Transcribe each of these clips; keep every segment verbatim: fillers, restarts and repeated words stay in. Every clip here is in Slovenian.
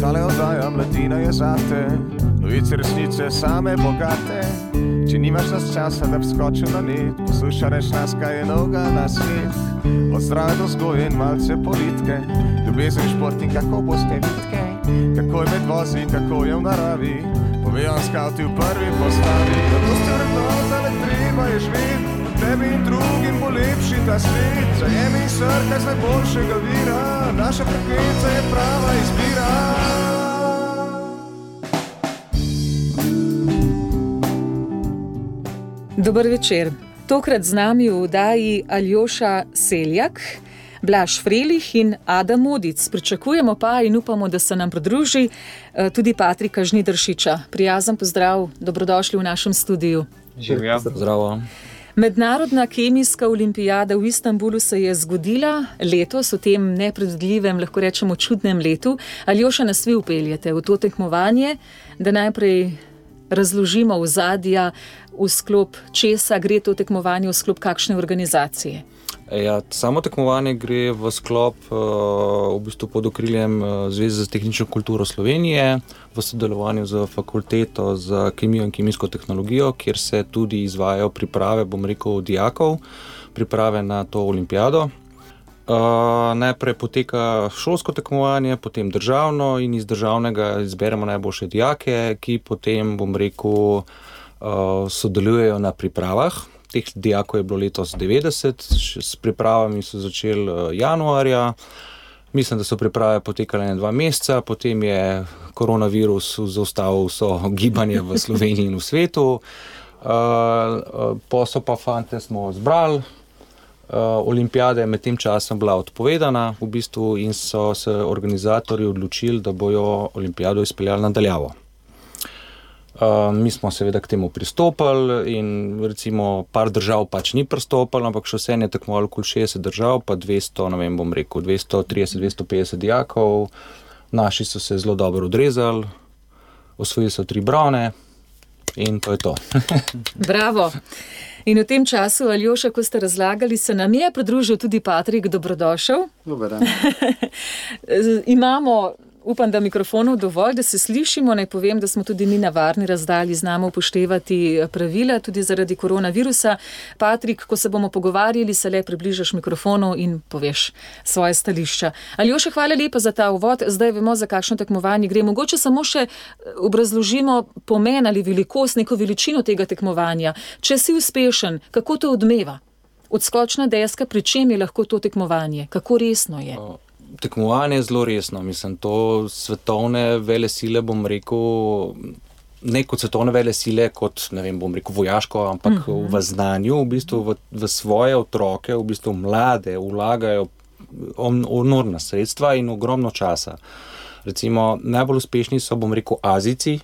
Tale oddaja Mladina je zate, novice resnice same bogate. Če nimaš nas časa, da bi skočil na net, poslušaj reč nas, kaj je novega na svet. Od zdrave do vzgoje in malce politike, ljubezen, šport in kako boste vitke, kako je med vozi, kako je v naravi, povejo skavti v prvi postavi. Zato ste vrednota, le treba je živeti, tebi in drugim bo lepši ta svet. Zajemi srka z najboljšega vira, naša frekvenca je prava izbira. Dober večer. Tokrat z nami v oddaji Aljoša Seljak, Blaž Frelih in Adam Modic. Pričakujemo pa in upamo, da se nam pridruži tudi Patrika Žnidaršiča. Prijazen pozdrav, dobrodošli v našem studiu. Živja. Zdravo. Mednarodna kemijska olimpijada v Istanbulu se je zgodila letos, v tem nepredvidljivem, lahko rečemo čudnem letu. Aljoša, nas vi upeljete v to tekmovanje, da najprej razložimo ozadja, v sklop česa gre to tekmovanje, v sklop kakšne organizacije. Ja, samo tekmovanje gre v sklop v bistvu pod okriljem Zveze za tehnično kulturo Slovenije v sodelovanju z fakulteto za kemijo in kemijsko tehnologijo, kjer se tudi izvajajo priprave, bom rekel, dijakov, priprave na to olimpijado. Uh, najprej poteka šolsko tekmovanje, potem državno in iz državnega izberemo najboljše dijake, ki potem, bom rekel, uh, sodelujejo na pripravah. Teh dijakov je bilo letos devetdeset, s pripravami so začeli januarja. Mislim, da so priprave potekale na dva meseca, potem je koronavirus zaustavil vso gibanje v Sloveniji in v svetu. Uh, posel pa fante smo zbrali. Uh, olimpijada je med tem časom bila odpovedana v bistvu in so se organizatorji odločili, da bojo olimpijado izpeljali nadaljavo. Uh, mi smo seveda k temu pristopili in recimo par držav pač ni pristopilo, ampak še vse je tekmovalo okoli šestdeset držav, pa dvesto, ne vem, bom rekel, dvesto trideset, dvesto petdeset dijakov. Naši so se zelo dobro odrezali, osvojili so tri brone in to je to. Bravo! In v tem času, Aljoša, ko ste razlagali, se nam je pridružil tudi Patrik, dobrodošel. Dober dan. Imamo, upam, da mikrofonov dovolj, da se slišimo. Naj povem, da smo tudi mi na varni razdalji, znamo upoštevati pravila, tudi zaradi koronavirusa. Patrik, ko se bomo pogovarjali, se le približaš mikrofonu in poveš svoje stališča. Aljoša, hvala lepa za ta uvod. Zdaj vemo, za kakšno tekmovanje gre. Mogoče samo še obrazložimo pomen ali velikost, neko veličino tega tekmovanja. Če si uspešen, kako to odmeva? Odskočna deska, pri čem je lahko to tekmovanje? Kako resno je? Tekmovanje je zelo resno, mislim, to svetovne velesile, bom rekel, ne kot svetovne velesile, kot, ne vem, bom rekel, vojaško, ampak uh-huh. v znanju, v bistvu v, v svoje otroke, v bistvu mlade, vlagajo enormna sredstva in ogromno časa. Recimo, najbolj uspešni so, bom rekel, Azijci,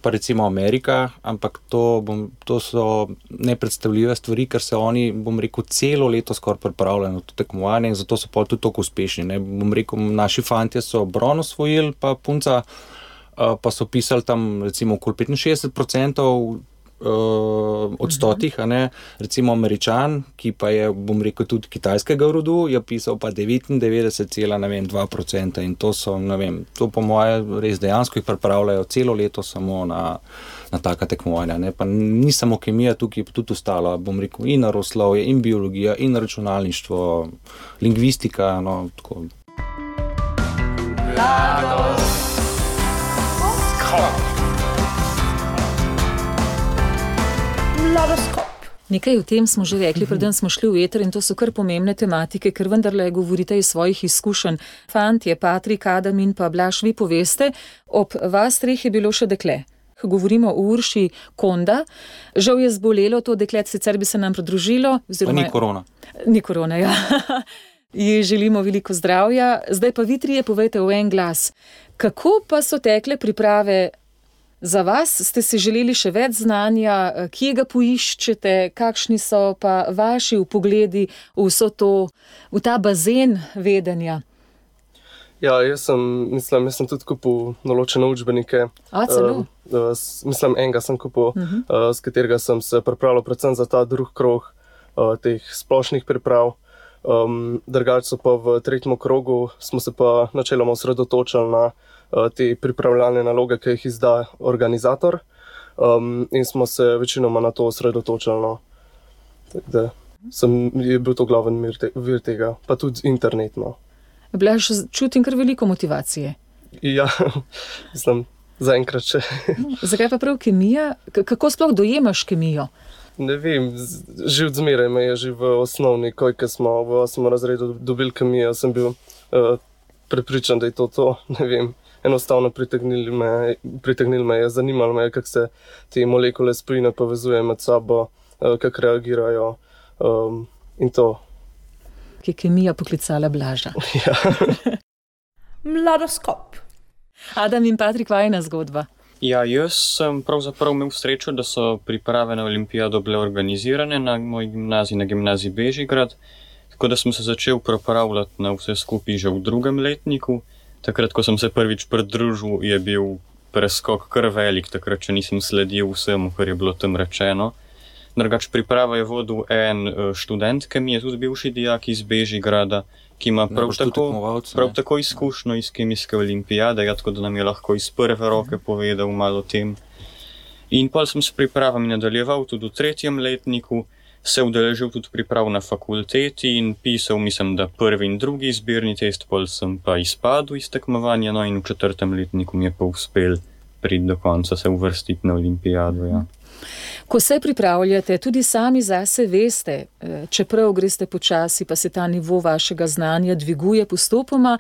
pa recimo Amerika, ampak to, bom, to so nepredstavljive stvari, ker se oni, bom rekel, celo leto skoraj pripravljajo na to tekmovanje in zato so pa tudi toliko uspešni. Ne. Bom rekel, naši fantje so bron osvojili, pa punca, pa so pisali tam recimo okoli petinšestdeset procentov od stotih, a ne. Recimo Američan, ki pa je, bom rekel, tudi kitajskega rodu, je pisal pa devetindevetdeset cela dva procenta in to so, ne vem, to po moje res dejansko jih pripravljajo celo leto samo na, na taka tekmovanja, ne. Pa ni samo kemija tukaj, tudi ostalo, bom rekel, in naravoslovje, in biologija, in računalništvo, lingvistika, no, tako. Nekaj o tem smo že rekli, preden smo šli v eter in to so kar pomembne tematike, ker vendarle govorite iz svojih izkušenj. Fantje, Patrik, Adam in pa Blaž, vi poveste, ob vas treh je bilo še dekle. Govorimo o Urši Konda. Žal je zbolelo to deklet, sicer bi se nam pridružilo. Pa ni korona. Ni korona, ja. Ji želimo veliko zdravja. Zdaj pa vi trije povejte v en glas. Kako pa so tekle priprave za vas? Ste si želeli še več znanja, kje ga poiščete, kakšni so pa vaši vpogledi v vso to, v ta bazen vedenja? Ja, jaz sem, mislim, jaz sem tudi kupil določene učbenike. A, celo? Uh, s, mislim, enega sem kupil, uh-huh. uh, s katerega sem se pripravljal predvsem za ta drug krog uh, teh splošnih priprav. Um, Drugače pa v tretjem krogu smo se pa načeloma osredotočili na uh, te pripravljalne naloge, ki jih izda organizator. Um, in smo se večinoma na to osredotočili. No. Tako da sem, je bil to glaven vir, te, vir tega, pa tudi internetno. Blaž, čutim kar veliko motivacije. Ja, mislim, zaenkrat še. Zakaj pa prav kemija? K- kako sploh dojemaš kemijo? Ne vem, že od zmeraj me je, že v osnovni, ko smo v osmem razredu dobili kemijo, sem bil uh, prepričan, da je to to, ne vem. Enostavno pritegnili me, pritegnili me je, zanimalo me je, kako se te molekule spojine povezujejo med sabo, uh, kako reagirajo um, in to. Ki je kemija poklicala Blaža. Ja. Mladoskop. Adam in Patrik, vajina zgodba. Ja, jaz sem pravzaprav imel srečo, da so priprave na olimpijado bile organizirane na moji gimnaziji, na gimnaziji Bežigrad, tako da sem se začel pripravljati na vse skupaj že v drugem letniku. Takrat, ko sem se prvič pridružil, je bil preskok kar velik, takrat, če nisem sledil vsemu, kar je bilo tam rečeno. Drugač priprava je vodil en študent, ki mi je tudi bivši dijak iz Bežigrada, ki ima prav, tako, prav tako izkušnjo iz kemijske olimpijade, ja, tako da nam je lahko iz prve roke povedal malo o tem. In pa sem s pripravami nadaljeval tudi v tretjem letniku, se udeležil tudi priprav na fakulteti in pisal, mislim, da prvi in drugi izbirni test, pol sem pa izpadel iz tekmovanja, no in v četrtem letniku mi je pa uspel priti do konca, se uvrstiti na olimpijado, ja. Ko se pripravljate, tudi sami zase veste, čeprav greste počasi, pa se ta nivo vašega znanja dviguje postopoma,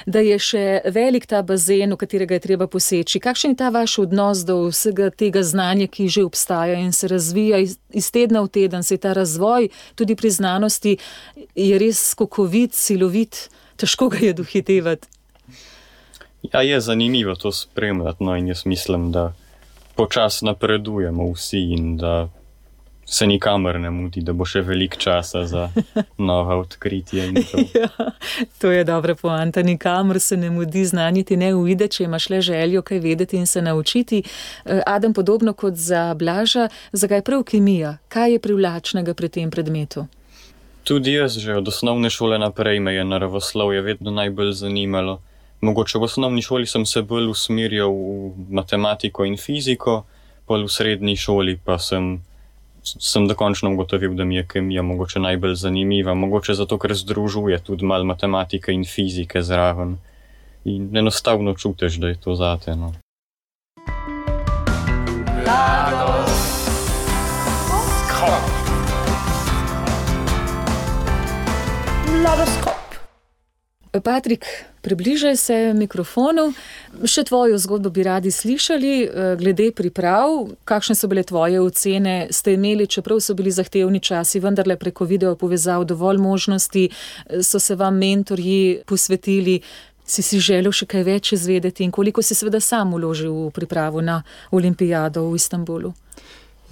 da je še velik ta bazen, v katerega je treba poseči. Kakšen je ta vaš odnos do vsega tega znanja, ki že obstaja in se razvija iz, iz tedna v teden? Se ta razvoj tudi pri znanosti je res skokovit, silovit, težko ga je dohitevati. Ja, je zanimivo to spremljati, no in jaz mislim, da počas napredujemo vsi in da se nikamor ne mudi, da bo še veliko časa za nova odkritja. In to. Ja, to je dobra poanta, nikamor se ne mudi, znanje ti ne uide, če imaš le željo kaj vedeti in se naučiti. Adam, podobno kot za Blaža, zakaj prav kemija? Kaj je privlačnega pri tem predmetu? Tudi jaz že od osnovne šole naprej me je naravoslovje vedno najbolj zanimalo. Mogoče v osnovni šoli sem se bolj usmerjal v matematiko in fiziko, pol v srednji šoli pa sem, sem dokončno ugotovil, da mi je kemija mogoče najbolj zanimiva, mogoče zato, ker združuje tudi malo matematike in fizike zraven. In enostavno čutiš, da je to zate, no. Mladoskop. Patrik, približaj se mikrofonu. Še tvojo zgodbo bi radi slišali, glede priprav. Kakšne so bile tvoje ocene? Ste imeli, čeprav so bili zahtevni časi, vendarle preko video povezav dovolj možnosti? So se vam mentorji posvetili? Si si želel še kaj več izvedeti? In koliko si seveda sam vložil v pripravo na olimpijado v Istanbulu?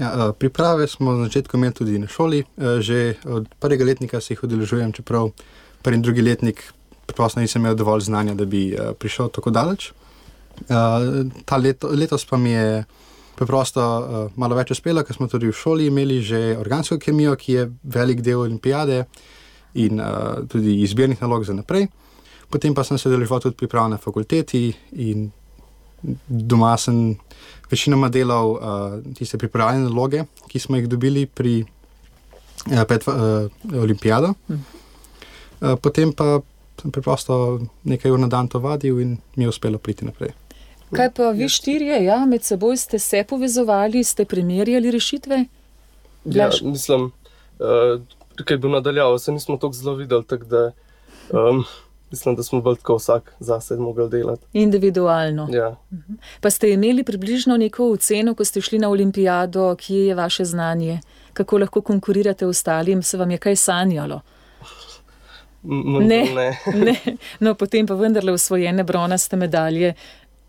Ja, priprave smo na začetku imeli tudi na šoli. Že od prvega letnika se jih udeležujem, čeprav prvi in drugi letnik preprosto nisem imel dovolj znanja, da bi uh, prišel tako daleč. Uh, ta leto, letos pa mi je preprosto uh, malo več uspelo, ker smo tudi v šoli imeli že organsko kemijo, ki je velik del olimpijade in uh, tudi izbirnih nalog za naprej. Potem pa sem se udeleževal tudi priprav na fakulteti in doma sem večinoma delal uh, tiste pripravljene naloge, ki smo jih dobili pri uh, pred uh, olimpijado. Uh, potem pa sem preprosto nekaj ur na dan to vadil in mi je uspelo priti naprej. Kaj pa vi štirje, ja, med seboj ste se povezovali, ste primerjali rešitve? Ja, mislim, uh, kaj bi nadaljal, se nismo toliko zelo videli, tako da um, mislim, da smo bolj tako vsak zase mogli delati. Individualno. Ja. Pa ste imeli približno neko oceno, ko ste šli na olimpijado, kje je vaše znanje? Kako lahko konkurirate ostalim? Se vam je kaj sanjalo? Ne, ne. ne. No, potem pa vendarle osvojene bronaste medalje,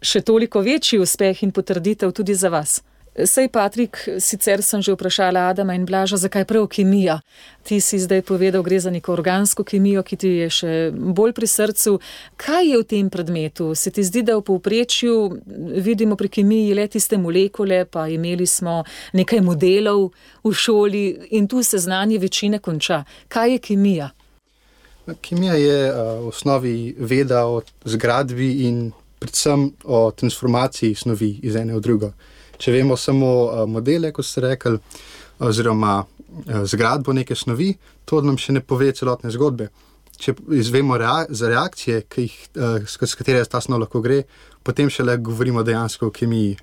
še toliko večji uspeh in potrditev tudi za vas. Sej, Patrik, sicer sem že vprašala Adama in Blaža, zakaj prav kemija. Ti si zdaj povedal, gre za neko organsko kemijo, ki ti je še bolj pri srcu. Kaj je v tem predmetu? Se ti zdi, da v povprečju vidimo pri kemiji le tiste molekule, pa imeli smo nekaj modelov v šoli in tu se znanje večine konča. Kaj je kemija? Kemija je v osnovi veda o zgradbi in predvsem o transformaciji snovi iz ene v drugo. Če vemo samo modele, kot ste rekli, oziroma zgradbo neke snovi, to nam še ne pove celotne zgodbe. Če izvemo rea- za reakcije, ki jih, s katere ta snov lahko gre, potem šele govorimo dejansko o kemiji.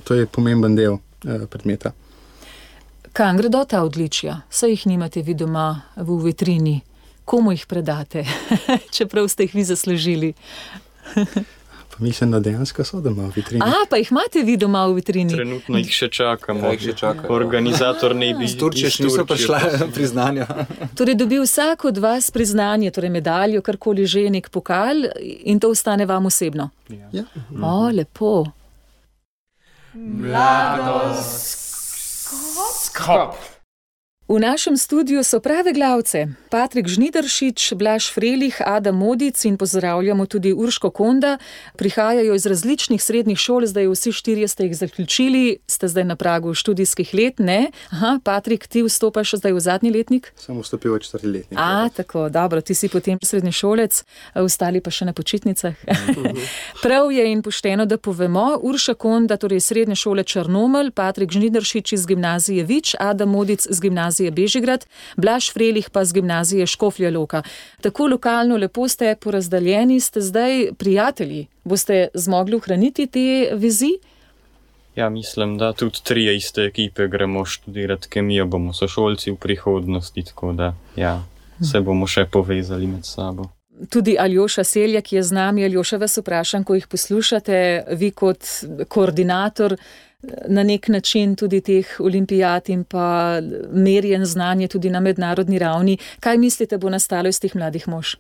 To je pomemben del predmeta. Kam gredo ta odličja? Saj jih nimate vi doma v vitrini. Komu jih predate? Čeprav ste jih vi zaslužili. Mislim, da dejansko so doma v vitrini. A, pa jih imate vi doma v vitrini? Trenutno jih še čakamo. Ja, jih še čakajo. Organizator ne bi iz Turčije še niso prišla priznanja. Torej dobi vsak od vas priznanje, torej medaljo, karkoli že, nek pokal in to ostane vam osebno. Ja. O, lepo. Mladoskop. V našem studiu so prave glavce. Patrik Žnidaršič, Blaž Frelih, Adam Modic in pozdravljamo tudi Urško Konda. Prihajajo iz različnih srednjih šol, zdaj vsi štirje ste jih zaključili, ste zdaj na pragu študijskih let, ne? Aha, Patrik, ti vstopaš zdaj v zadnji letnik? Sem vstopil v četrti letnik. A, tako, dobro, ti si potem srednješolec, ostali pa še na počitnicah. Prav je in pošteno, da povemo. Urša Konda, torej srednje šole Črnomelj, Patrik Žnidaršič iz gimnazije Vič, Adam Modic z gimnazije Bežigrad, Blaž Frelih pa z gimnazije Škofja Loka. Tako lokalno lepo ste porazdaljeni, ste zdaj prijatelji. Boste zmogli ohraniti te vezi? Ja, mislim, da tudi trije iste ekipe gremo študirati kemijo, bomo sošolci v prihodnosti, tako da ja, se bomo še povezali med sabo. Tudi Aljoša Seljak je z nami. Aljoša, vas vprašam, ko jih poslušate, vi kot koordinator na nek način tudi teh olimpijad in pa merjen znanje tudi na mednarodni ravni. Kaj mislite, bo nastalo iz teh mladih mož?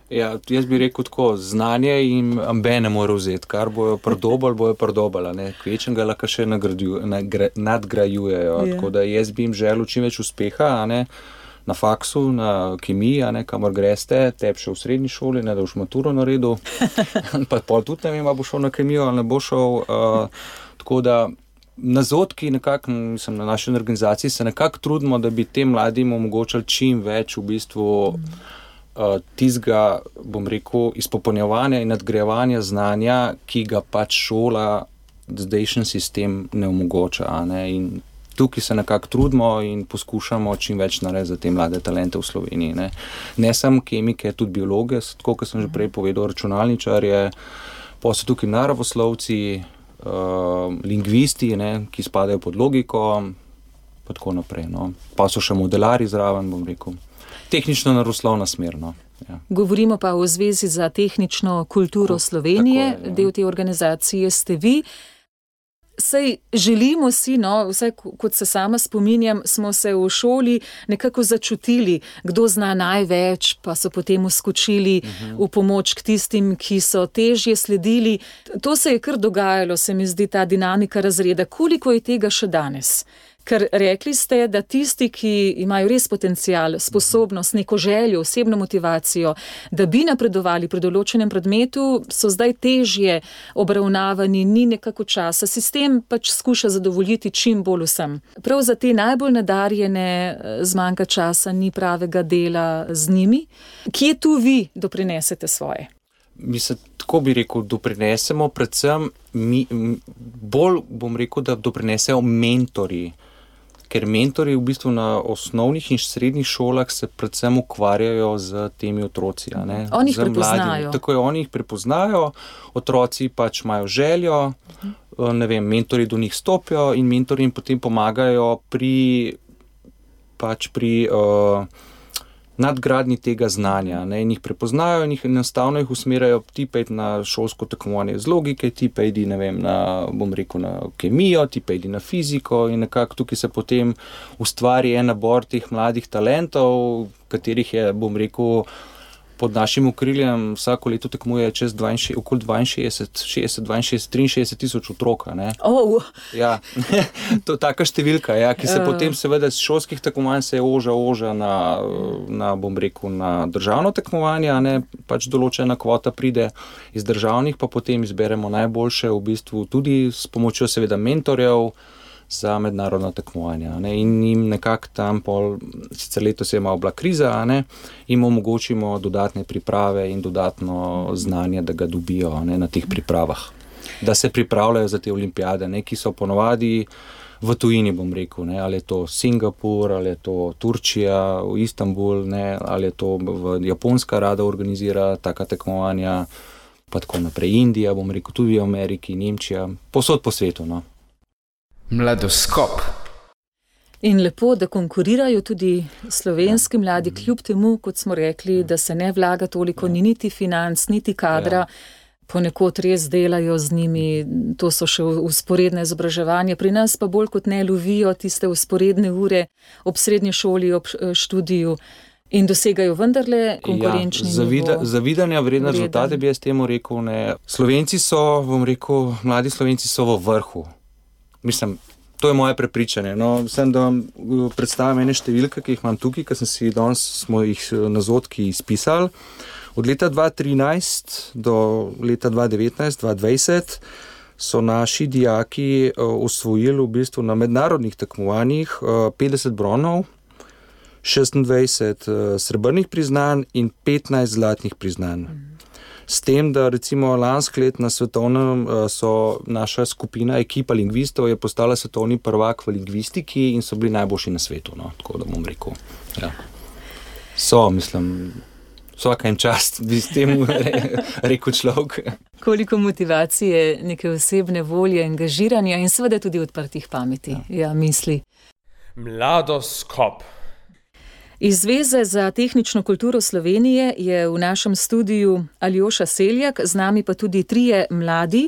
Ja, jaz bi rekel tako, znanje jim ambe ne more vzeti, kar bojo prdobali, bojo prdobali, kvečem ga lahko še nadgrajujejo, Ja. tako da jaz bi jim želel čim več uspeha, a ne, na faksu, na kemiji, a ne, kamor greste, tep še v srednji šoli, ne, da boš maturo naredil, pa pol tudi ne vem, a bo šel na kemijo ali ne bo šel, uh, tako da na Zotki nekako, mislim, na naši organizaciji se nekako trudimo, da bi tem mladim omogočali čim več v bistvu uh, tizga, bom rekel, izpopolnjevanja in nadgrajevanja znanja, ki ga pač šola, zdajšnji sistem ne omogoča, a ne, in tukaj se nekako trudimo in poskušamo čim več narediti za te mlade talente v Sloveniji, ne. Ne samo kemike, tudi biologe, tako kot sem že prej povedal, računalničarje, pa so tukaj naravoslovci, Uh, lingvisti, ne, ki spadajo pod logiko, pa tako naprej. No. Pa so še modelari zraven, bom rekel. Tehnično naravoslovna smer. No. Ja. Govorimo pa o Zvezi za tehnično kulturo Slovenije, tako je, ja. Del te organizacije ste vi. Sej želimo si, no, vsaj kot se sama spominjam, smo se v šoli nekako začutili, kdo zna največ, pa so potem uskočili uh-huh. v pomoč k tistim, ki so težje sledili. To se je kar dogajalo, se mi zdi, ta dinamika razreda. Koliko je tega še danes? Ker rekli ste, da tisti, ki imajo res potencial, sposobnost, neko željo, osebno motivacijo, da bi napredovali pri določenem predmetu, so zdaj težje obravnavani, ni nekako časa. Sistem pač skuša zadovoljiti čim bolj vsem. Prav za te najbolj nadarjene zmanjka časa, ni pravega dela z njimi. Kje tu vi doprinesete svoje? Mi se, tako bi rekel, doprinesemo predvsem, mi, bolj bom rekel, da doprinesejo mentorji. Ker mentorji v bistvu na osnovnih in srednjih šolah se predvsem ukvarjajo z temi otroci. A ne? Oni jih Z prepoznajo. mladimi. Tako je, oni jih prepoznajo, otroci pač imajo željo, ne vem, mentorji do njih stopijo in mentorji jim potem pomagajo pri, pač pri uh, nadgradnji tega znanja. Ne? In jih prepoznajo in jih enostavno jih usmerjajo, ti pa idi na šolsko tekmovanje z logike, ti pa idi, ne vem, na, bom rekel, na kemijo, ti pa idi na fiziko in nekako tukaj se potem ustvari en nabor teh mladih talentov, katerih je, bom rekel, pod našim okriljem vsako leto tekmuje čez dvainšestdeset, okoli dvainšestdeset, šestdeset, dvainšestdeset, triinšestdeset tisoč otroka. Ne? Oh. Ja, to je taka številka, ja, ki se uh. potem seveda z šolskih tekmovanj se oža, oža na, na, bom rekel, na državno tekmovanje, ne, pač določena kvota pride iz državnih, pa potem izberemo najboljše v bistvu tudi s pomočjo seveda mentorjev za mednarodna tekmovanja. Ne, in jim nekako tam pol, sicer letos je malo bila kriza, ne, jim omogočimo dodatne priprave in dodatno znanje, da ga dobijo, ne, na teh pripravah. Da se pripravljajo za te olimpijade, ne, ki so ponovadi v tujini, bom rekel, ne, ali je to Singapur, ali je to Turčija, v Istanbul, ne, ali je to v Japonska rada organizira taka tekmovanja, pa tako naprej Indija, bom rekel, tudi v Ameriki, Nemčija, posod po svetu, no. Mladoskop. In lepo, da konkurirajo tudi slovenski mladi, kljub temu, kot smo rekli, da se ne vlaga toliko, ni niti financ, niti kadra, ponekod res delajo z njimi, to so še usporedne izobraževanje, pri nas pa bolj kot ne lovijo tiste usporedne ure ob srednji šoli, ob študiju in dosegajo vendarle konkurenčni ja, zavida, nivo. Zavidanja vredne rezultate bi jaz temu rekel, ne. Slovenci so, bom rekel, mladi Slovenci so v vrhu. Mislim, to je moje prepričanje. No, sem, da vam predstavim ene številke, ki jih imam tukaj, ker sem si danes smo jih na zotki izpisali. Od leta dva tisoč trinajst do leta dva tisoč devetnajst, dva tisoč dvajset so naši dijaki osvojili v bistvu na mednarodnih tekmovanjih petdeset bronov, šestindvajset srebrnih priznanj in petnajst zlatnih priznanj. S tem, da recimo lansko let na svetovnem so naša skupina, ekipa lingvistov je postala svetovni prvak v lingvistiki in so bili najboljši na svetu, no, tako da bom rekel. Ja. So, mislim, vsaka jim čast, bi s tem rekel človek. Koliko motivacije, neke osebne volje, angažiranja in seveda tudi odprtih pameti, ja, ja misli. Mladoskop. Iz Zveze za tehnično kulturo Slovenije je v našem studiu Aljoša Seljak, z nami pa tudi trije mladi.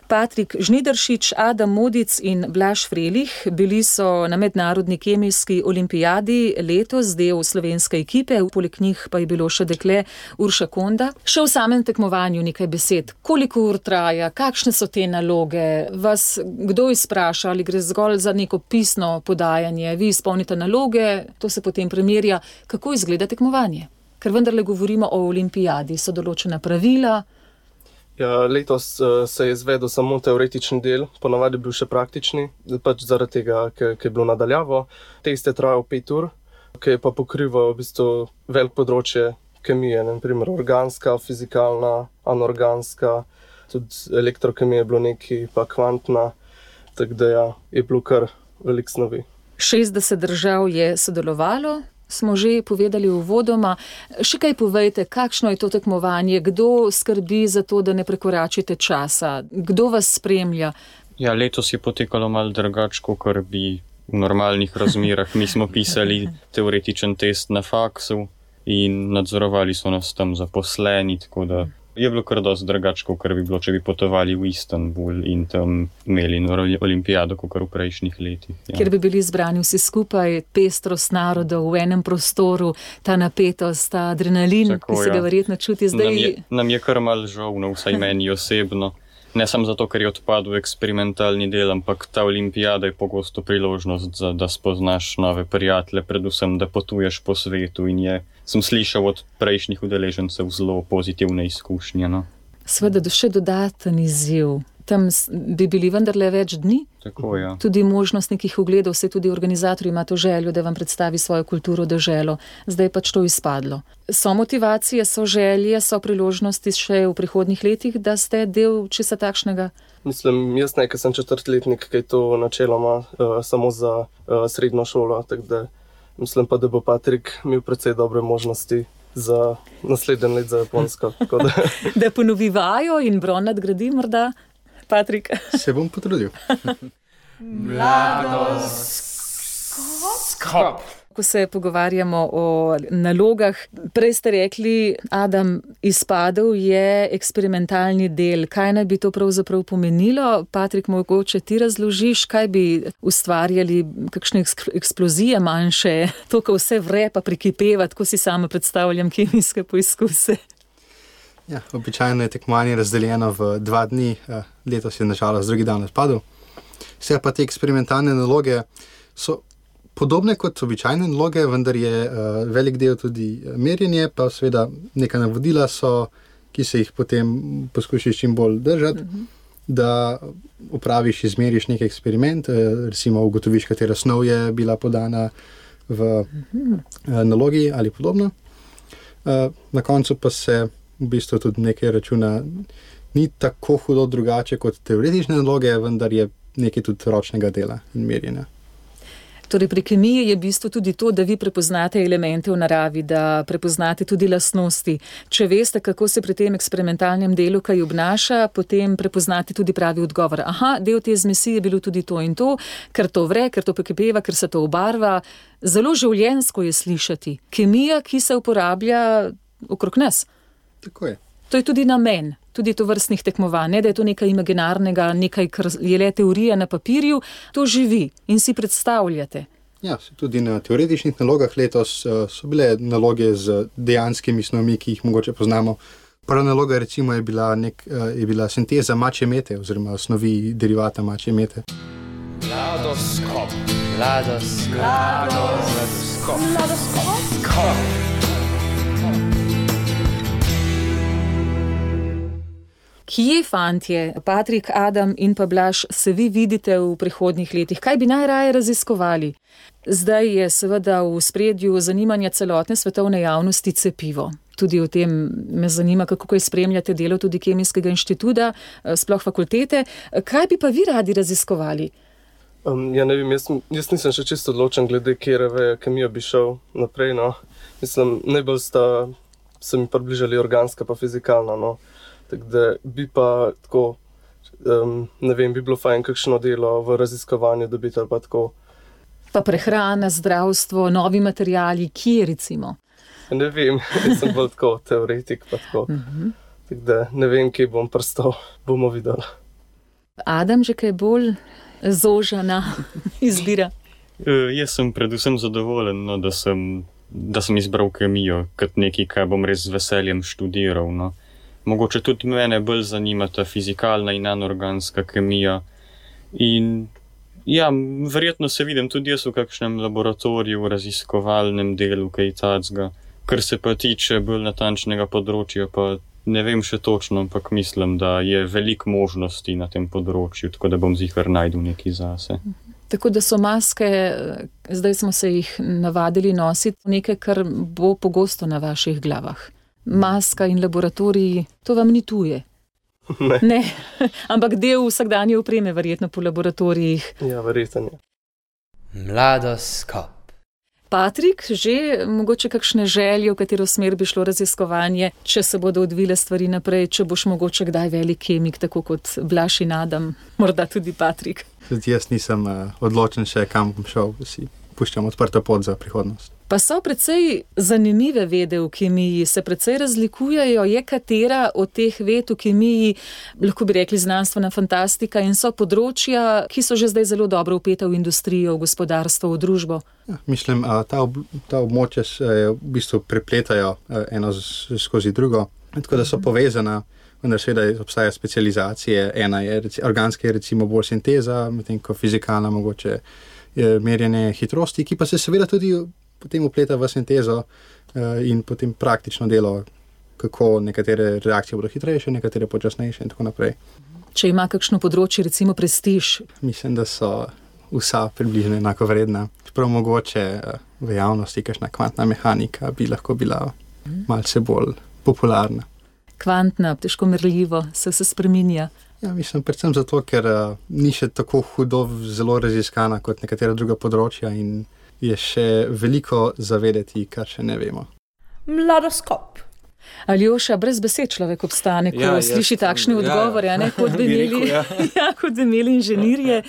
Patrik Žnidaršič, Adam Modic in Blaž Frelih. Bili so na mednarodni kemijski olimpijadi letos del slovenske ekipe, poleg njih pa je bilo še dekle Urša Konda. Še v samem tekmovanju nekaj besed. Koliko ur traja, kakšne so te naloge, vas kdo izpraša ali gre zgolj za neko pisno podajanje, vi izpolnite naloge, to se potem primerja. Kako izgleda tekmovanje? Ker vendarle govorimo o olimpijadi, so določena pravila. Ja, letos uh, se je izvedel samo teoretični del, ponavadi bil še praktični, pač zaradi tega, ker je bilo nadaljavo. Test je trajal pet ur, ki je pa pokrival v bistvu veliko področje kemije, na primer organska, fizikalna, anorganska, tudi elektrokemija je bilo nekaj, pa kvantna, tako da ja, je bilo kar veliko snovi. šestdeset držav je sodelovalo. Smo že povedali uvodoma. Še kaj povejte, kakšno je to tekmovanje, kdo skrbi za to, da ne prekoračite časa, kdo vas spremlja? Ja, letos je potekalo malo drugače, kot bi v normalnih razmerah. Mi smo pisali teoretičen test na faksu in nadzorovali so nas tam zaposleni, tako da je bilo kar dosti drugače, kot bi bilo, če bi potovali v Istanbul in tam imeli olimpijado, kot v prejšnjih letih. Ja. Kjer bi bili zbrani vsi skupaj, pestrost narodov v enem prostoru, ta napetost, ta adrenalin, tako, ki se ga ja. verjetno čuti zdaj. Nam je, nam je kar malo žal, no, vsaj meni osebno. Ne samo zato, ker je odpadel eksperimentalni del, ampak ta olimpijada je pogosto priložnost, za, da spoznaš nove prijatelje, predvsem, da potuješ po svetu in je, sem slišal od prejšnjih udeležencev zelo pozitivne izkušnje. No. Sveda, še dodaten izziv. Tam bi bili vendarle več dni. Tako, ja. Tudi možnost nekih ogledov, vse tudi organizatorji ima to željo, da vam predstavi svojo kulturo, deželo. Zdaj pač to izpadlo. So motivacije, so želje, so priložnosti še v prihodnjih letih, da ste del česa takšnega? Mislim, jaz nekaj sem četrtletnik, ki je to načeloma uh, samo za uh, srednjo šolo, tako da mislim pa, da bo Patrik imel precej dobre možnosti za naslednji let za Japonsko. Da... da ponovi vajo in bron nadgradi morda? Patrik. Se bom potrudil. Mladoskop. Ko se pogovarjamo o nalogah, prej ste rekli, Adam, izpadel je eksperimentalni del. Kaj naj bi to pravzaprav pomenilo? Patrik, mogoče ti razložiš, kaj bi ustvarjali, kakšne eksplozije manjše, to, ko vse vre pa prikipeva, tako si sama predstavljam kemijske poizkuse. Ja, običajno je tekmovanje razdeljeno v dva dni, letos je nažalost drugi dan odpadel. Vse pa te eksperimentalne naloge so podobne kot običajne naloge, vendar je uh, velik del tudi merjenje, pa seveda neka navodila so, ki se jih potem poskušaš čim bolj držati, uh-huh. da opraviš, izmeriš nek eksperiment, uh, recimo ugotoviš, katera snov je bila podana v uh-huh. uh, nalogi ali podobno. Uh, na koncu pa se v bistvu tudi nekaj računa ni tako hudo drugače kot teoretične naloge, vendar je nekaj tudi ročnega dela in merjenja. Torej, pri kemiji je v bistvu tudi to, da vi prepoznate elemente v naravi, da prepoznate tudi lastnosti. Če veste, kako se pri tem eksperimentalnem delu kaj obnaša, potem prepoznate tudi pravi odgovor. Aha, del te zmesi je bilo tudi to in to, ker to vre, ker to prekipeva, ker se to obarva. Zelo življenjsko je slišati. Kemija, ki se uporablja okrog nas. Tako je. To je tudi namen, tudi to vrstnih tekmovanj, ne da je to nekaj imaginarnega, nekaj, kar je le teorija na papirju, to živi in si predstavljate. Ja, tudi na teoretičnih nalogah letos so bile naloge z dejanskimi snovmi, ki jih mogoče poznamo. Prva naloga recimo je bila, nek, je bila sinteza mačje mete oziroma snovi derivata mačje mete. Mladoskop, mladoskop, mladoskop, mladoskop. Kje, fantje, Patrik, Adam in pa Blaž, se vi vidite v prihodnjih letih? Kaj bi najraje raziskovali? Zdaj je seveda v spredju zanimanja celotne svetovne javnosti cepivo. Tudi o tem me zanima, kako kaj spremljate delo tudi Kemijskega inštituta, sploh fakultete. Kaj bi pa vi radi raziskovali? Um, ja, ne vem, jaz, jaz nisem še čisto odločen glede kjere veje kemija bi šel naprej, no. Mislim, najbolj sta se mi približali organska pa fizikalna, no. Tako da bi pa tako, um, ne vem, bi bilo fajn kakšno delo v raziskovanju dobiti ali pa tako. Pa prehrana, zdravstvo, novi materijali, kje recimo? Ne vem, jaz sem bolj tako teoretik pa tako. Uh-huh. Tako da ne vem, kje bom prstal, bomo videli. Adam, že kaj bolj zožana izbira? Uh, jaz sem predvsem zadovoljen, no, da, sem, da sem izbral kemijo kot nekaj, kaj bom res z veseljem študiral, no. Mogoče tudi mene bolj zanima ta fizikalna in anorganska kemija. In ja, verjetno se vidim tudi jaz v kakšnem laboratoriju, v raziskovalnem delu, kaj tacga. Kar se pa tiče bolj natančnega področja, pa ne vem še točno, ampak mislim, da je veliko možnosti na tem področju, tako da bom zihar najdel nekaj zase. Tako da so maske, zdaj smo se jih navadili nositi, nekaj, kar bo pogosto na vaših glavah. Maska in laboratoriji, to vam ni tuje. Ne. ne. Ampak del vsakdanje opreme verjetno po laboratorijih. Ja, verjetno je. Mladoskop. Patrik, že mogoče kakšne želje, v katero smer bi šlo raziskovanje, če se bodo odvile stvari naprej, če boš mogoče kdaj velik kemik, tako kot Blaž in Adam, morda tudi Patrik. Tudi jaz nisem uh, odločen še, kam bom šel, si puščam odprto pot za prihodnost. Pa so precej zanimive vede v kemiji, se precej razlikujejo, je katera od teh ved v kemiji, lahko bi rekli znanstvena fantastika in so področja, ki so že zdaj zelo dobro vpeta v industrijo, v gospodarstvo, v družbo. Ja, mislim, ta, ob, ta območja se v bistvu prepletajo eno skozi drugo, tako da so povezana, vendar seveda obstaja specializacije, ena je organska, je recimo bolj sinteza, medtem ko fizikalna mogoče je merjenje hitrosti, ki pa se seveda tudi potem upleta v sintezo uh, in potem praktično delo, kako nekatere reakcije bodo hitrejše, nekatere počasnejše in tako naprej. Če ima kakšno področje, recimo prestiž? Mislim, da so vsa približno enako vredna. Čeprav mogoče uh, v javnosti kakšna kvantna mehanika bi lahko bila malce bolj popularna. Kvantna, težko merljivo, se se spreminja. Ja, mislim, predvsem zato, ker uh, ni še tako hudo zelo raziskana kot nekatera druga področja in je še veliko zavedeti, kar še ne vemo. Mladoskop. Aljoša, brez besed človek obstane, ko ja, sliši jaz, takšne odgovore, ja, ne, kot bi imeli, ja. ja, kot bi imeli inženirje,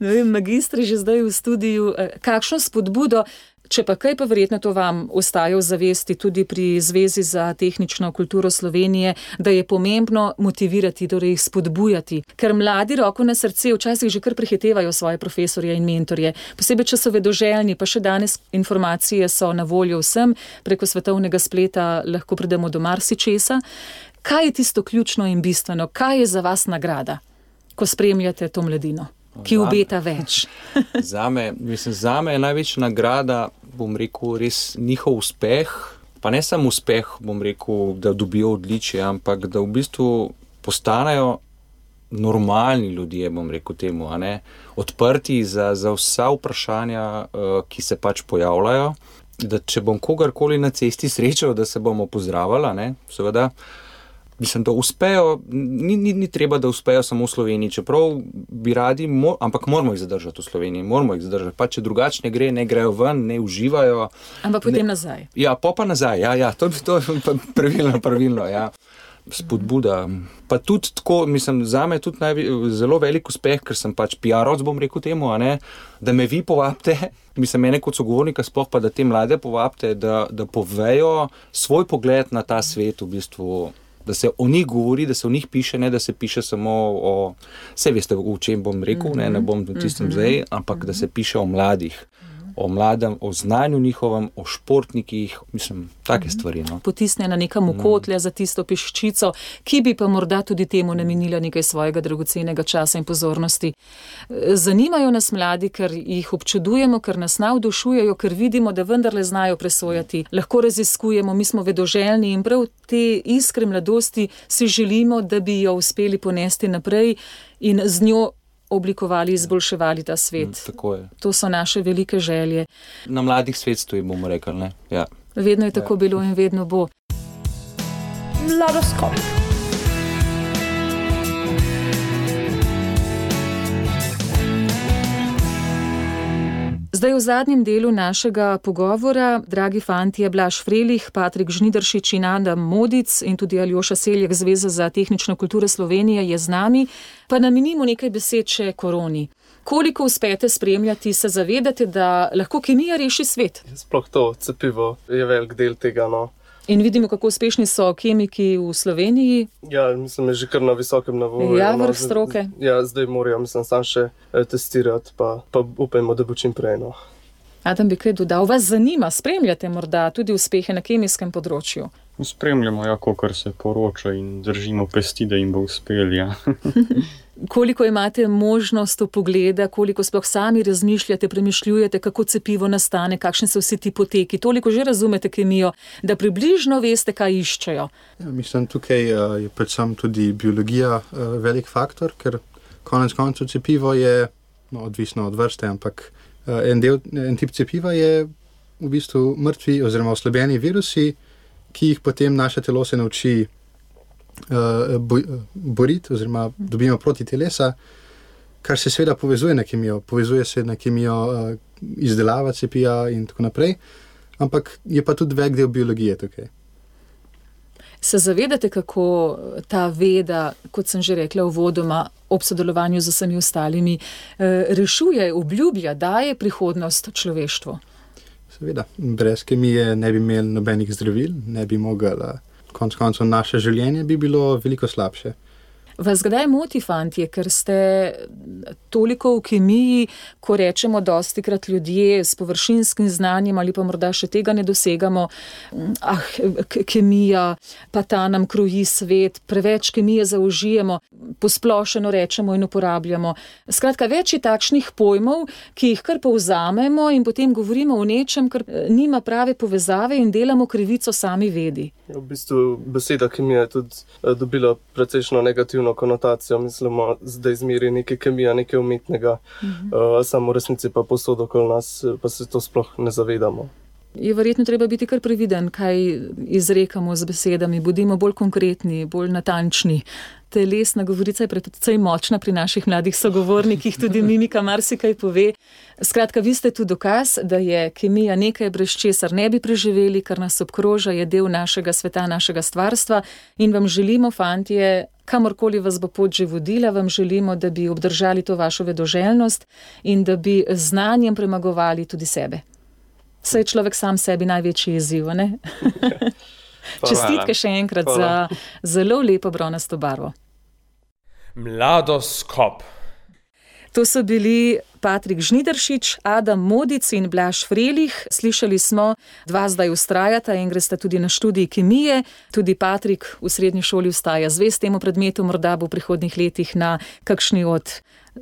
ne vem, magistri že zdaj v studiju. Kakšno spodbudo, Če pa kaj, pa verjetno to vam ostaja v zavesti tudi pri Zvezi za tehnično kulturo Slovenije, da je pomembno motivirati, torej jih spodbujati. Ker mladi, roko na srce, včasih že kar prehitevajo svoje profesorje in mentorje. Posebej, če so vedoželjni, pa še danes informacije so na voljo vsem, preko svetovnega spleta lahko pridemo do marsičesa. Kaj je tisto ključno in bistveno? Kaj je za vas nagrada, ko spremljate to mladino, ki obeta več? Zame, mislim, zame je največja nagrada, bom rekel, res njihov uspeh, pa ne samo uspeh, bom rekel, da dobijo odličje, ampak da v bistvu postanejo normalni ljudje, bom rekel temu, a ne, odprti za, za vsa vprašanja, ki se pač pojavljajo, da če bom kogarkoli na cesti srečal, da se bomo pozdravili, ne, seveda, mislim, da uspejo, ni, ni, ni treba, da uspejo samo v Sloveniji, čeprav bi radi, mo, ampak moramo jih zadržati v Sloveniji, moramo jih zadržati, pa če drugače ne gre, ne grejo ven, ne uživajo. Ampak potem ne, nazaj. Ja, pa pa nazaj, ja, ja, to je pravilno, pravilno, ja. Spodbuda. Pa tudi tako, mislim, zame je tudi najve, zelo velik uspeh, ker sem pač P R-ovc, bom rekel temu, a ne, da me vi povabite, mislim, mene kot sogovornika sploh pa, da te mlade povabite, da, da povejo svoj pogled na ta svet, v bistvu, da se o njih govori, da se o njih piše, ne da se piše samo o, vse veste, o čem bom rekel, ne, ne bom v tistem zdaj, ampak da se piše o mladih, o mladem, o znanju njihovem, o športnikih, mislim, take stvari. No. Potisne na nekam okotlja za tisto peščico, ki bi pa morda tudi temu namenila nekaj svojega dragocenega časa in pozornosti. Zanimajo nas mladi, ker jih občudujemo, ker nas navdušujejo, ker vidimo, da vendarle znajo presojati. Lahko raziskujemo, mi smo vedoželjni in prav te iskre mladosti si želimo, da bi jo uspeli ponesti naprej in z njo oblikovali, izboljševali ta svet. Tako je. To so naše velike želje. Na mladih svet stoji, bomo rekli, ne? Ja. Vedno je tako ja. bilo in vedno bo. Mladoskop. Zdaj v zadnjem delu našega pogovora, dragi fantje, Blaž Frelih, Patrik Žnidaršič in Adam Modic in tudi Aljoša Seljak, Zveza za tehnično kulturo Slovenije je z nami, pa namenimo nekaj besed še koroni. Koliko uspete spremljati, se zavedate, da lahko kemija reši svet? Sploh to cepivo je velik del tega, no. In vidimo, kako uspešni so kemiki v Sloveniji. Ja, mislim, je že kar na visokem nivoju. Ja, vrh stroke. Ja, zdaj morajo, mislim, sam še testirati, pa, pa upajmo, da bo čim prej, no. Adam bi kaj dodal, vas zanima, spremljate morda tudi uspehe na kemijskem področju? Spremljamo, ja, kolikor se poroča in držimo pesti, da jim bo uspel, ja. Koliko imate možnost pogleda, koliko sploh sami razmišljate, premišljujete, kako cepivo nastane, kakšni so vsi ti poteki, toliko že razumete kemijo, da približno veste, kaj iščejo? Ja, mislim, tukaj uh, je predvsem tudi biologija uh, velik faktor, ker konec koncev cepivo je, no, odvisno od vrste, ampak uh, en, del, en tip cepiva je v bistvu mrtvi oziroma oslabljeni virusi, ki jih potem naše telo se nauči uh, boj, boriti oziroma dobimo proti telesa, kar se seveda povezuje na kemijo, povezuje se na kemijo uh, izdelava cepija in tako naprej, ampak je pa tudi velik del biologije tukaj. Se zavedate, kako ta veda, kot sem že rekla uvodoma, ob sodelovanju z vsemi ostalimi, rešuje, obljublja, daje prihodnost človeštvu? Seveda, brez kemije ne bi imeli nobenih zdravil, ne bi mogli, konec koncev naše življenje bi bilo veliko slabše. Vas kdaj moti, fantje, ker ste toliko v kemiji, ko rečemo dostikrat ljudje s površinskim znanjem ali pa morda še tega ne dosegamo, ah, kemija, pa ta nam kroji svet, preveč kemije zaužijemo, posplošeno rečemo in uporabljamo. Skratka, več je takšnih pojmov, ki jih kar povzamemo in potem govorimo o nečem, kar nima prave povezave in delamo krivico sami vedi. V bistvu beseda kemija je tudi dobila precejšno negativno konotacijo, mislimo, da izmeri nekaj kemija, nekaj umetnega, mhm. uh, samo v resnici pa posod okoli nas, pa se to sploh ne zavedamo. Je verjetno treba biti kar previden, kaj izrekamo z besedami, bodimo bolj konkretni, bolj natančni. Telesna govorica je predvsej močna pri naših mladih sogovornikih, tudi mimika marsikaj pove. Skratka, vi ste tu dokaz, da je kemija nekaj, brez česar ne bi preživeli, kar nas obkroža, je del našega sveta, našega stvarstva in vam želimo, fantje, kamorkoli vas bo pot že vodila, vam želimo, da bi obdržali to vašo vedoželjnost in da bi znanjem premagovali tudi sebe. Saj je človek sam sebi največji izziv, ne? Čestitke še enkrat Hvala. Za zelo lepo bronasto barvo. Mladoskop. To so bili Patrik Žnidaršič, Adam Modic in Blaž Frelih. Slišali smo, dva zdaj ustrajata in gresta tudi na študij kemije. Tudi Patrik v srednji šoli ostaja zvest temu predmetu, morda bo v prihodnjih letih na kakšni od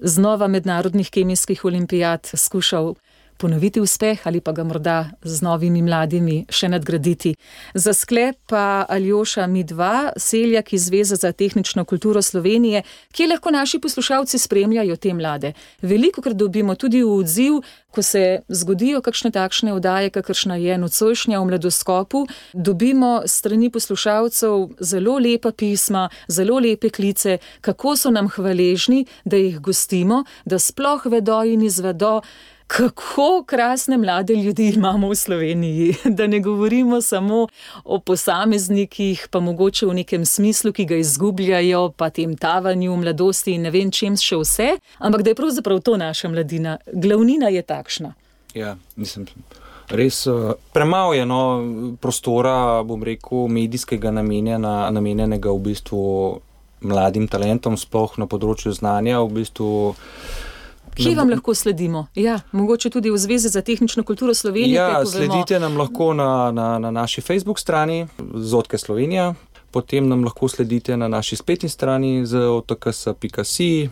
znova mednarodnih kemijskih olimpijad skušal ponoviti uspeh ali pa ga morda z novimi mladimi še nadgraditi. Za sklep pa Aljoša Midva, Seljak iz Zveze za tehnično kulturo Slovenije, kje lahko naši poslušalci spremljajo te mlade. Velikokrat dobimo tudi v odziv, ko se zgodijo kakšne takšne oddaje, kakršna je nocojšnja v Mladoskopu, dobimo strani poslušalcev zelo lepa pisma, zelo lepe klice, kako so nam hvaležni, da jih gostimo, da sploh vedo in izvedo, kako krasne mlade ljudi imamo v Sloveniji, da ne govorimo samo o posameznikih, pa mogoče v nekem smislu, ki ga izgubljajo, pa tem tavanju, mladosti in ne vem čem še vse, ampak da je pravzaprav to naša mladina. Glavnina je takšna. Ja, mislim, res premalo je no, prostora, bom rekel, medijskega namenjena, namenjenega v bistvu mladim talentom, sploh na področju znanja, v bistvu. Kje vam lahko sledimo? Ja, mogoče tudi v Zvezi za tehnično kulturo Slovenije. Ja, sledite nam lahko na, na, na naši Facebook strani Zotke Slovenija, potem nam lahko sledite na naši spletni strani z o t k s pika si.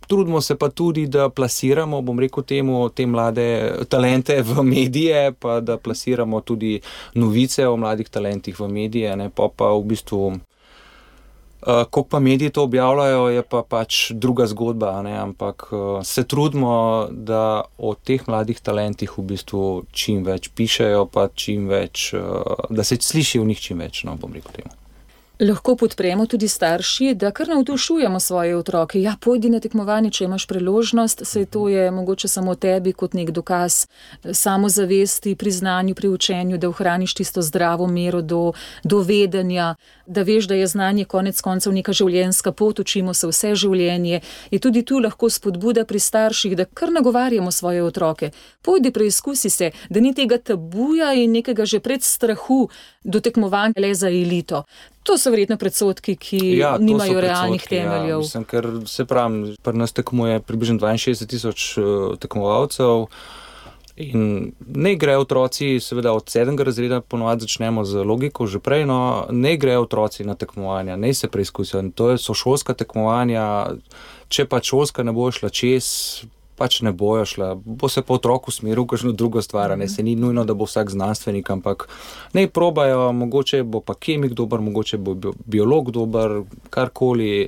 Trudimo se pa tudi, da plasiramo, bom rekel temu, te mlade talente v medije, pa da plasiramo tudi novice o mladih talentih v medije, ne, pa pa v bistvu Uh, Kako pa mediji to objavljajo, je pa pač druga zgodba, ne? Ampak uh, se trudimo, da o teh mladih talentih v bistvu čim več pišejo, pa čim več, uh, da se sliši v njih čim več, no, bom rekel temu. Lahko podpremo tudi starši, da kar navdušujemo svoje otroke. Ja, pojdi na tekmovanje, če imaš priložnost, saj to je mogoče samo tebi kot nek dokaz samozavesti, priznanju, pri učenju, da ohraniš tisto zdravo mero do, do vedenja, da veš, da je znanje konec koncev neka življenjska pot, učimo se vse življenje. Je tudi tu lahko spodbuda pri starših, da kar nagovarjamo svoje otroke. Pojdi, preizkusi se, da ni tega tabuja in nekega že predstrahu do tekmovanja le za elito. To so verjetno predsodki, ki ja, nimajo realnih temeljev. Ja, mislim, ker se pravim, pri nas tekmuje približno dvainšestdeset tisoč tekmovalcev in ne grejo otroci, seveda od sedmega razreda ponovadi začnemo z logiko že prej, no, ne grejo otroci na tekmovanja, ne se preizkusijo. To so šolska tekmovanja, če pa šolska ne bo šla čez, pač ne bojo šla, bo se pa otrok usmeril v kakšno drugo stvar, ne, se ni nujno, da bo vsak znanstvenik, ampak ne probajo, mogoče bo pa kemik dober, mogoče bo biolog dober, karkoli,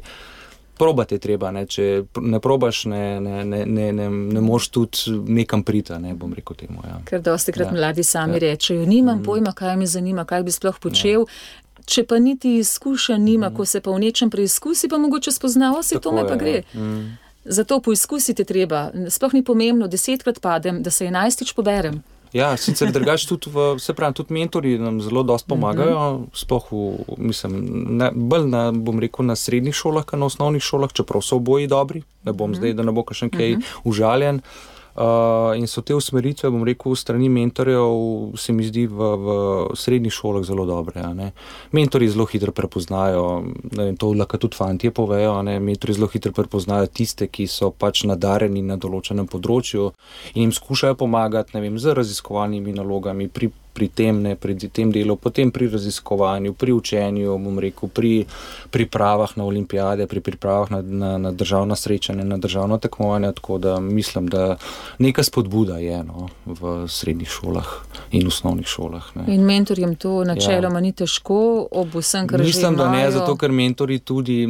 probati je treba, ne, če ne probaš, ne, ne, ne, ne, ne, ne moš tudi nekam priti, ne, bom rekel temu, ja. Ker dostikrat ja. Mladi sami ja. Rečejo, nimam mm. pojma, kaj me zanima, kaj bi sploh počel, ja. Če pa niti izkušenj nima, mm. ko se pa v nečem preizkusi, pa mogoče spoznava, si to me pa gre. Mm. Zato poizkusite treba, sploh ni pomembno, desetkrat padem, da se enajstič poberem. Ja, sicer drugače tudi, v, se pravi, tudi mentori nam zelo dosti pomagajo, mm-hmm. sploh v, mislim, ne, bolj na, bom rekel, na srednjih šolah, kot na osnovnih šolah, čeprav so oboji dobri, ne bom mm-hmm. zdaj, da ne bo kakšen kaj mm-hmm. užaljen. Uh, in so te usmeritve, bom rekel, strani mentorjev, se mi zdi v, v srednjih šolah zelo dobre. Ne. Mentori zelo hitro prepoznajo, ne vem, to lahko tudi fantje povejo, ne. Mentori zelo hitro prepoznajo tiste, ki so pač nadarjeni na določenem področju in jim skušajo pomagati, ne vem, z raziskovalnimi nalogami pri pri tem, ne, pri tem delu, potem pri raziskovanju, pri učenju, bom rekel, pri pripravah na olimpijade, pri pripravah na, na, na državna srečanja, na državno tekmovanje, tako da mislim, da neka spodbuda je no, v srednjih šolah in osnovnih šolah. Ne. In mentorjem to načeloma ja. Ni težko, ob vsem, kar že mislim, imajo. Da ne, zato ker mentori tudi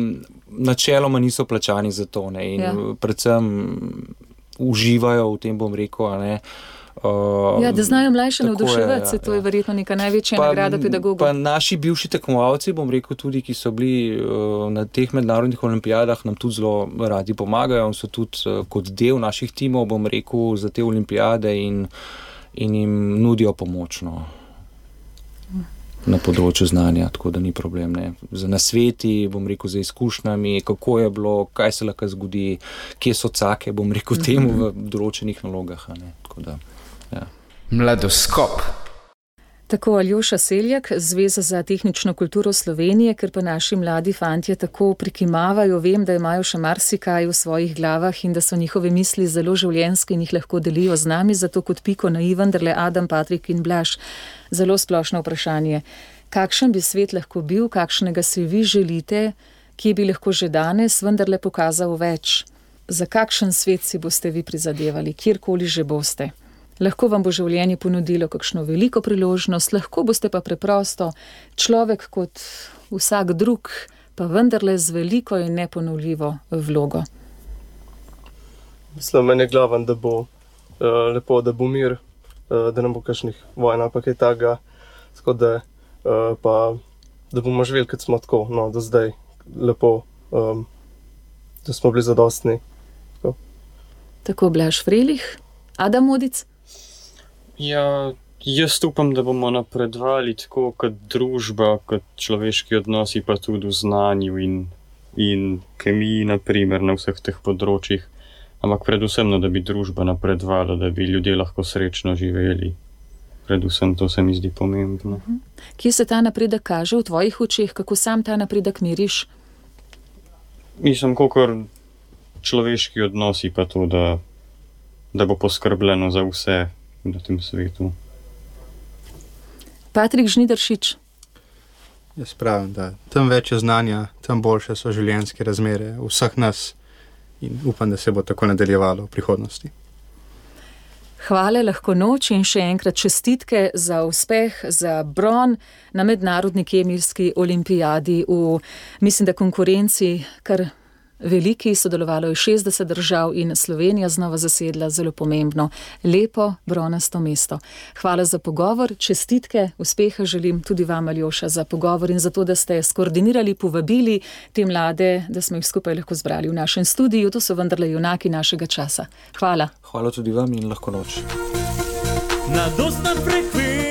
načeloma niso plačani za to, ne, in ja. Predvsem uživajo v tem, bom rekel, a ne. Uh, ja, da znajo mlajše navduševati, se ja, to je ja. Verjetno neka največja pa, nagrada pedagogov. Pa naši bivši tekmovalci, bom rekel tudi, ki so bili uh, na teh mednarodnih olimpijadah, nam tudi zelo radi pomagajo in so tudi uh, kot del naših timov, bom rekel, za te olimpijade in, in jim nudijo pomoč no, na področju znanja, tako da ni problem. Ne. Za nasveti, bom rekel, za izkušnjami, kako je bilo, kaj se lahko zgodi, kje so cake, bom rekel, temu v določenih nalogah. Ne, tako da. Ja. Mladoskop. Tako Aljoša Seljak, Zveza za tehnično kulturo Slovenije, ker pa naši mladi fantje tako prikimavajo, vem, da imajo še marsikaj v svojih glavah in da so njihove misli zelo življenjske in jih lahko delijo z nami, zato kot piko na i, vendarle Adam, Patrik in Blaž. Zelo splošno vprašanje. Kakšen bi svet lahko bil, kakšnega si vi želite, ki bi lahko že danes vendarle pokazal več? Za kakšen svet si boste vi prizadevali, kjerkoli že boste? Lahko vam bo življenje ponudilo kakšno veliko priložnost, lahko boste pa preprosto človek kot vsak drug, pa vendarle z veliko in neponovljivo vlogo. Mislim, meni je glaven, da bo uh, lepo, da bo mir, uh, da ne bo kakšnih vojn ali pa kaj takega, tako da uh, pa da bomo živeli, kot smo tako, no, do zdaj lepo, um, da smo bili zadostni. Tako, tako Blaž Frelih, Adam Modic. Ja, jaz upam, da bomo napredovali tako kot družba, kot človeški odnosi, pa tudi v znanju in, in kemiji, naprimer, na vseh teh področjih. Ampak predvsem, no, da bi družba napredovala, da bi ljudje lahko srečno živeli. Predvsem to se mi zdi pomembno. Kje se ta napredek kaže v tvojih očeh? Kako sam ta napredek meriš? Mislim, kakor človeški odnosi, pa to, da, da bo poskrbljeno za vse na tem svetu. Patrik Žnidaršič. Jaz pravim, da tam več je znanja, tam boljše so življenjske razmere vseh nas in upam, da se bo tako nadaljevalo v prihodnosti. Hvala, lahko noč in še enkrat čestitke za uspeh, za bron na mednarodni kemijski olimpijadi v, mislim, da konkurenci kar veliki, sodelovalo je šestdeset držav in Slovenija znova zasedla zelo pomembno, lepo bronasto mesto. Hvala za pogovor, čestitke, uspeha želim tudi vam, Aljoša, za pogovor in za to, da ste skoordinirali, povabili te mlade, da smo jih skupaj lahko zbrali v našem studiu. To so vendarle junaki našega časa. Hvala. Hvala tudi vam in lahko noč. Na dostan frekvenci